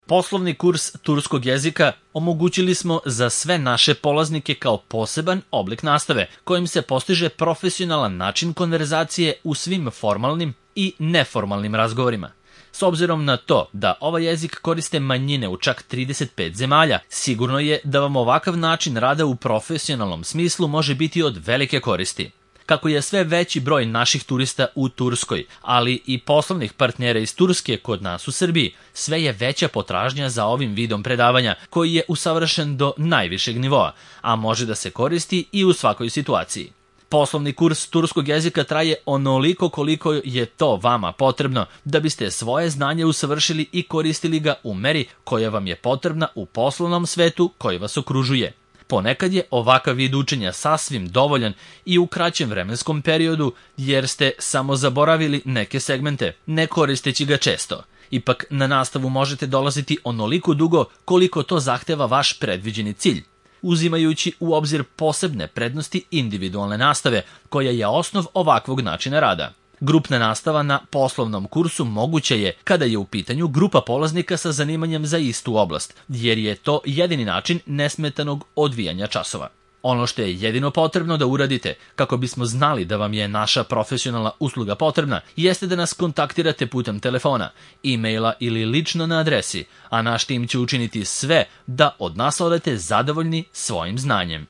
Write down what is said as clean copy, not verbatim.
Poslovni kurs turskog jezika omogućili smo za sve naše polaznike kao poseban oblik nastave, kojim se postiže profesionalan način konverzacije u svim formalnim i neformalnim razgovorima. S obzirom na to da ovaj jezik koriste manjine u čak 35 zemalja, sigurno je da vam ovakav način rada u profesionalnom smislu može biti od velike koristi. Kako je sve veći broj naših turista u Turskoj, ali i poslovnih partnera iz Turske kod nas u Srbiji, sve je veća potražnja za ovim vidom predavanja, koji je usavršen do najvišeg nivoa, a može da se koristi i u svakoj situaciji. Poslovni kurs turskog jezika traje onoliko koliko je to vama potrebno da biste svoje znanje usavršili i koristili ga u meri koja vam je potrebna u poslovnom svetu koji vas okružuje. Ponekad je ovakav vid učenja sasvim dovoljan i u kraćem vremenskom periodu, jer ste samo zaboravili neke segmente, ne koristeći ga često. Ipak na nastavu možete dolaziti onoliko dugo koliko to zahteva vaš predviđeni cilj, uzimajući u obzir posebne prednosti individualne nastave, koja je osnov ovakvog načina rada. Grupna nastava na poslovnom kursu moguće je kada je u pitanju grupa polaznika sa zanimanjem za istu oblast, jer je to jedini način nesmetanog odvijanja časova. Ono što je jedino potrebno da uradite kako bismo znali da vam je naša profesionalna usluga potrebna, jeste da nas kontaktirate putem telefona, e-maila ili lično na adresi, a naš tim će učiniti sve da od nas odete zadovoljni svojim znanjem.